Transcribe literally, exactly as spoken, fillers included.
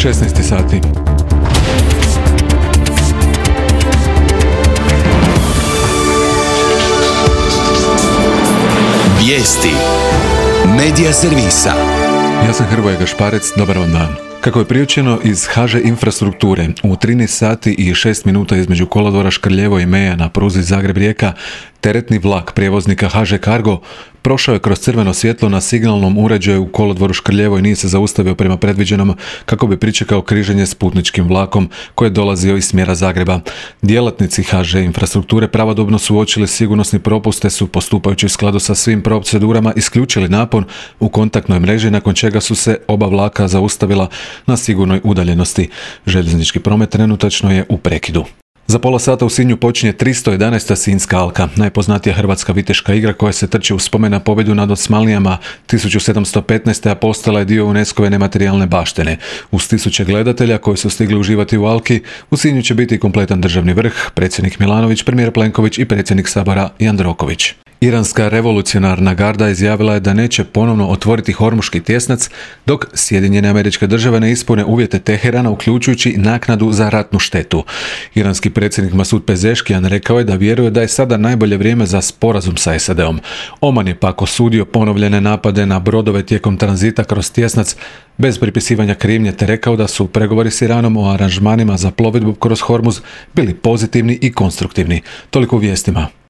šesnaest sati. Vijesti Medija servisa. Ja sam Hrvoje Gašparec, dobar vam dan. Kako je priopćeno iz ha že Infrastrukture, u trinaest sati i šest minuta između kolodvora Škrljevo i Meja na pruzi Zagreb-Rijeka, teretni vlak prijevoznika ha že Cargo prošao je kroz crveno svjetlo na signalnom uređaju u kolodvoru Škrljevo i nije se zaustavio prema predviđenom kako bi pričekao križanje s putničkim vlakom koji je dolazio iz smjera Zagreba. Djelatnici ha že Infrastrukture pravodobno su uočili sigurnosni propust te su, postupajući u skladu sa svim procedurama, isključili napon u kontaktnoj mreži, nakon čega su se oba vlaka zaustavila na sigurnoj udaljenosti. Željeznički promet trenutačno je u prekidu. Za pola sata u Sinju počinje tristo jedanaesta Sinjska alka, najpoznatija hrvatska viteška igra koja se trči u spomen na pobjedu nad Osmanlijama tisuću sedamsto petnaeste. a postala je dio UNESCO-ve nematerijalne baštine. Uz tisuće gledatelja koji su stigli uživati u alki, u Sinju će biti kompletan državni vrh, predsjednik Milanović, premijer Plenković i predsjednik Sabora Jandroković. Iranska revolucionarna garda izjavila je da neće ponovno otvoriti Hormuški tjesnac dok Sjedinjene Američke Države ne ispune uvjete Teherana, uključujući naknadu za ratnu štetu. Iranski predsjednik Masud Pezeškijan rekao je da vjeruje da je sada najbolje vrijeme za sporazum sa es a de om. Oman je pak osudio ponovljene napade na brodove tijekom tranzita kroz tjesnac bez pripisivanja krivnje, te rekao da su pregovori s Iranom o aranžmanima za plovidbu kroz Hormuz bili pozitivni i konstruktivni. Toliko u vijestima.